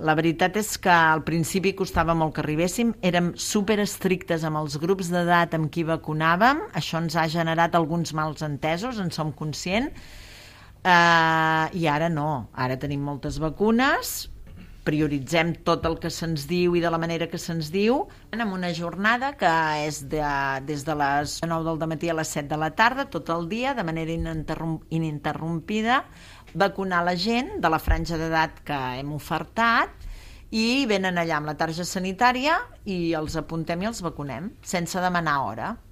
La veritat és que al principi costava molt que arribéssim, érem super estrictes amb els grups d'edat amb qui vacunàvem, això ens ha generat alguns mals entesos, en som conscients, i ara no, ara tenim moltes vacunes, prioritzem tot el que se'ns diu i de la manera que se'ns diu, amb una jornada que és des de les 9 del matí a les 7 de la tarda, tot el dia, de manera ininterrompida, vacunar la gent de la franja d'edat que hem ofertat i venen allà amb la targeta sanitària i els apuntem i els vacunem, sense demanar hora.